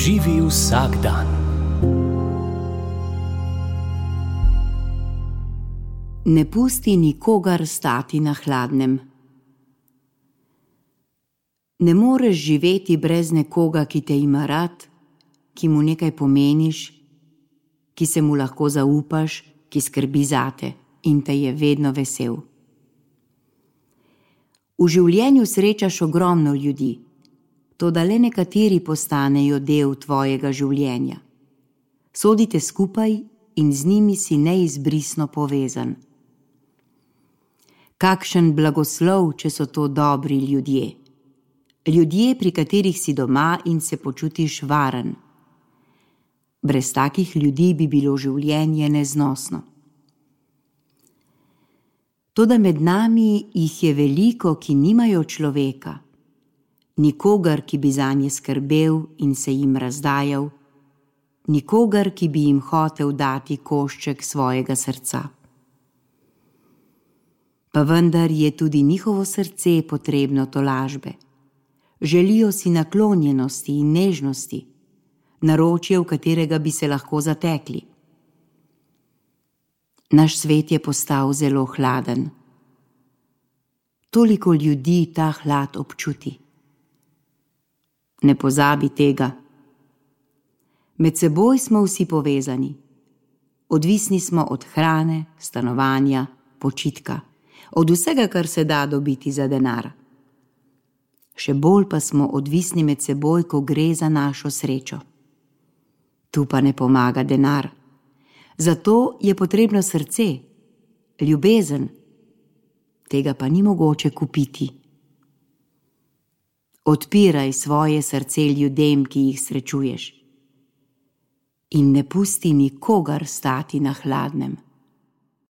Živi vsak dan. Ne pusti nikogar stati na hladnem. Ne moreš živeti brez nekoga, ki te ima rad, ki mu nekaj pomeniš, ki se mu lahko zaupaš, ki skrbi zate in te je vedno vesel. V življenju srečaš ogromno ljudi, toda le nekateri postanejo del tvojega življenja. Sodite skupaj in z njimi si neizbrisno povezan. Kakšen blagoslov, če so to dobri ljudje. Ljudje, pri katerih si doma in se počutiš varen. Brez takih ljudi bi bilo življenje neznosno. Toda med nami jih je veliko, ki nimajo človeka, nikogar, ki bi zanje skrbel in se jim razdajal, nikogar, ki bi jim hotel dati košček svojega srca. Pa vendar je tudi njihovo srce potrebno tolažbe. Želijo si naklonjenosti in nežnosti, naročje, v katerega bi se lahko zatekli. Naš svet je postal zelo hladen. Toliko ljudi ta hlad občuti. Ne pozabi tega. Med seboj smo vsi povezani. Odvisni smo od hrane, stanovanja, počitka, od vsega, kar se da dobiti za denar. Še bolj pa smo odvisni med seboj, ko gre za našo srečo. Tu pa ne pomaga denar. Zato je potrebno srce, ljubezen. Tega pa ni mogoče kupiti. Odpiraj svoje srce ljudem, ki jih srečuješ. In ne pusti nikogar stati na hladnem.